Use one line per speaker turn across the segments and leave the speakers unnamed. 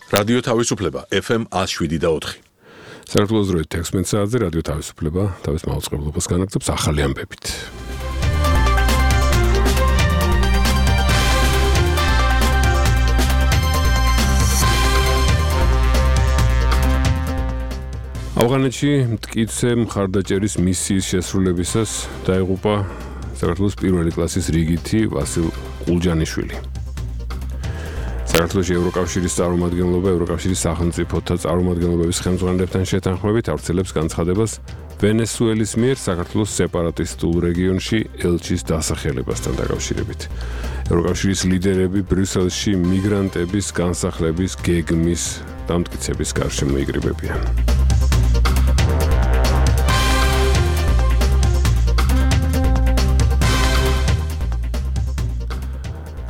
რადიო თავისუფლება FM 107.4.
საქართველოს დროით 16 საათზე რადიო თავისუფლება თავის მაუწყებლობას განაგრძობს ახალი ამბებით. ავღანეთში მტკიცე მხარდაჭერის მისიის შესრულებისას დაიღუპა საქართველოს პირველი კლასის რიგითი ვასილ ყულჯანიშვილი. საქართველოს ევროკავშირის წარმომადგენლობა ევროკავშირის სახელმწიფოთა წარმომადგენლობების ხელმძღვანელებთან შეთანხმებით ავრცელებს განცხადებას ვენესუელის მიერ საქართველოს სეპარატისტულ რეგიონში ელჩის დასახელებასთან დაკავშირებით. ევროკავშირის ლიდერები ბრიუსელში მიგრანტების განსახლების გეგმის დამტკიცების გარშემო იკრიბებიან.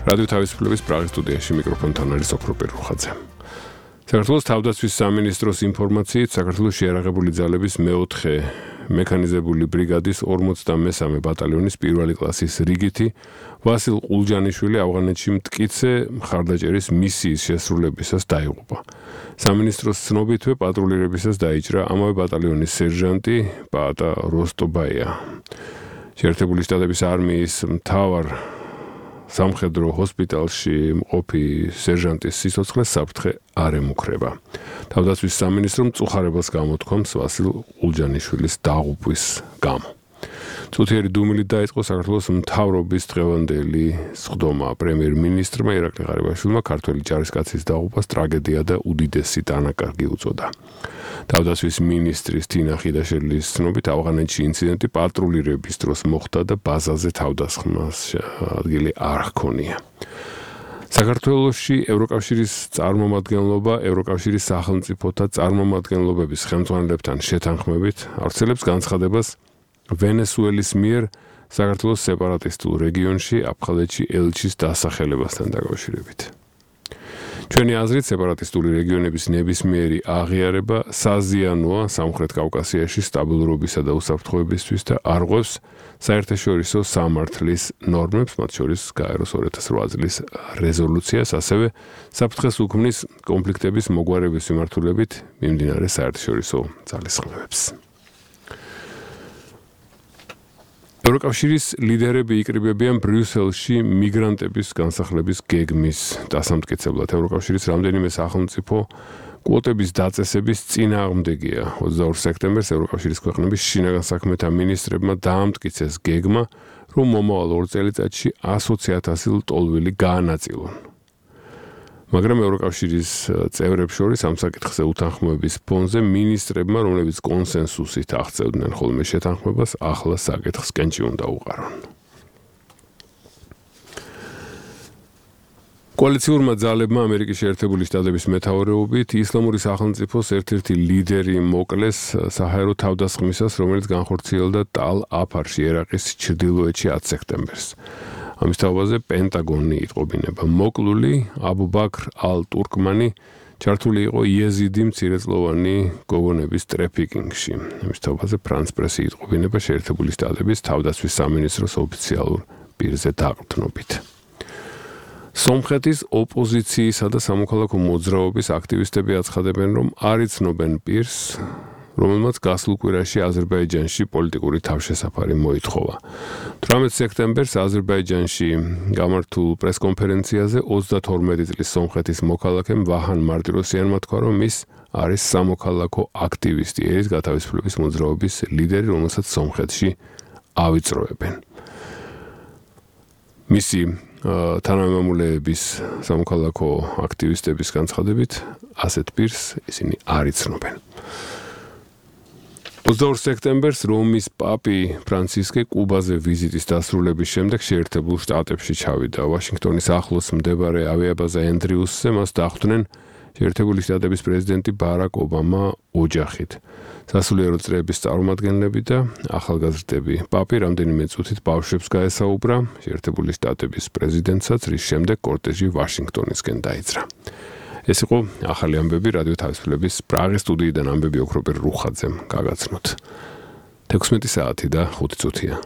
რადიო თავისუფლების პრაღის სტუდიაში მიკროფონთან არის ოქროპერ რუხაძე. საქართველოს თავდაცვის სამინისტროს ინფორმაციით საქართველოს შეიარაღებული ძალების მეოთხე მექანიზებული ბრიგადის 53 ბატალიონის პირველი კლასის რიგითი ვასილ ყულჯანიშვილი ავღანეთში მტკიცე მხარდაჭერის მისიის შესრულებისას დაიღუპა. სამინისტროს ცნობითვე პატრულირებისას დაიჭრა ამავე ბატალიონის სერჟანტი პაატა როსტობაია. შეერთებული შტატების არმიის მთავარ სამხედრო ჰოსპიტალში მყოფი სერჟანტის სიცოცხლეს საფრთხე არ ემუქრება. თავდაცვის სამინისტრომ მწუხარებას გამოთქვამს ვასილ ყულჯანიშვილის დაღუპვის გამო. წუთიერი დუმილით დაიწყო საქართველოს მთავრობის დღევანდელი სხდომა. პრემიერ-მინისტრმა ირაკლი ღარიბაშვილმა ქართველი ჯარისკაცის დაღუპვას ტრაგედია და უდიდესი დანაკარგი უწოდა. თავდაცვის მინისტრის თინა ხიდაშელის ცნობით ავღანეთში ინციდენტი პატრულირების დროს მოხდა და ბაზაზე თავდასხმას ადგილი არ ჰქონია. საქართველოში ევროკავშირის წარმომადგენლობა ევროკავშირის სახელმწიფოთა წარმომადგენლობების ხელმძღვანელებთან შეთანხმებით ავრცელებს განცხადებას ვენესუელის მიერ საქართველოს სეპარატისტულ რეგიონში აფხაზეთში ელჩის დასახელებასთან დაკავშირებით. ჩვენი აზრით სეპარატისტული რეგიონების ნებისმიერი აღიარება საზიანოა სამხრეთ კავკასიაში სტაბილურობისა და უსაფრთხოებისთვის და არღვევს საერთაშორისო სამართლის ნორმებს, მათ შორის გაეროს 2008 წლის რეზოლუციას, ასევე საფრთხეს უქმნის კონფლიქტების მოგვარების მიმართულებით მიმდინარე საერთაშორისო ძალისხმევებს. ევროკავშირის ლიდერები იკრიბებიან ბრიუსელში მიგრანტების განსახლების გეგმის დასამტკიცებლად. ევროკავშირის რამდენიმე სახელმწიფო კვოტების დაწესების წინააღმდეგია. 22 სექტემბერს ევროკავშირის ქვეყნების შინაგან საქმეთა მინისტრებმა დაამტკიცეს გეგმა, რომ მომავალ 2 წელიწადში 120,000 ლტოლვილი გაანაწილონ. მაგრამ ევროკავშირის წევრებს შორის ამ საკითხზე უთანხმოების ფონზე მინისტრებმა, რომლებიც კონსენსუსით აღწევდნენ ხოლმე შეთანხმებას, ახლა საკითხს კენჭი უნდა უყარონ. კოალიციურმა ძალებმა ამერიკის შეერთებული შტატების მეთაურობით ისლამური სახელმწიფოს ერთ-ერთი ლიდერი მოკლეს საჰაერო თავდასხმისას, რომელიც განხორციელდა ტალ-აფარში, ერაყის ჩრდილოეთში 10 სექტემბერს. ამის თავაზე პენტაგონი იტყობინება. მოკლული აბუ ბაქრ ალ-ტურკმანი ჩართული იყო იეზიდი მცირეწლოვანი გოგონების ტრეფიკინგში. ამის თავაზე ფრანს პრესი იტყობინება შეერთებული შტატების თავდაცვის სამინისტროს ოფიციალურ პირზე დაყრდნობით. სომხეთის ოპოზიციისა და სამოქალაქო მოძრაობის აქტივისტები აცხადებენ, რომ არ იცნობენ პირს, რომელმაც გასულ კვირაში აზერბაიჯანში პოლიტიკური თავშესაფარი მოითხოვა. 18 სექტემბერს აზერბაიჯანში გამართულ პრესკონფერენციაზე 32 წლის სომხეთის მოქალაქემ ვაჰან მარტიროსიანმა თქვა, რომ ის არის სამოქალაქო აქტივისტი, ერის გათავისუფლების მოძრაობის ლიდერი, რომელსაც სომხეთში ავიწროებენ. მისი თანამემამულეების სამოქალაქო აქტივისტების განცხადებით ასეთ პირს ისინი არ იცნობენ. 22 სექტემბერს რომის პაპი ფრანცისკე კუბაზე ვიზიტის დასრულების შემდეგ შეერთებულ შტატებში ჩავიდა. ვაშინგტონის ახლოს მდებარე ავიაბაზა ენდრიუსზე მას დახვდნენ შეერთებული შტატების პრეზიდენტი ბარაკ ობამა ოჯახით. სასულიერო წრეების წარმომადგენლები და ახალგაზრდები. პაპი რამდენიმე წუთით ბავშვებს გაესაუბრა შეერთებული შტატების პრეზიდენტსაც, რის შემდეგ კორტეჟი ვაშინგტონისკენ დაიძრა. ეს იყო ახალი ამბები რადიო თავისუფლების პრაღის სტუდიიდან ამბები ოქროპერ რუხაძემ გაგაცნოთ. 16 საათი და 5 წუთია.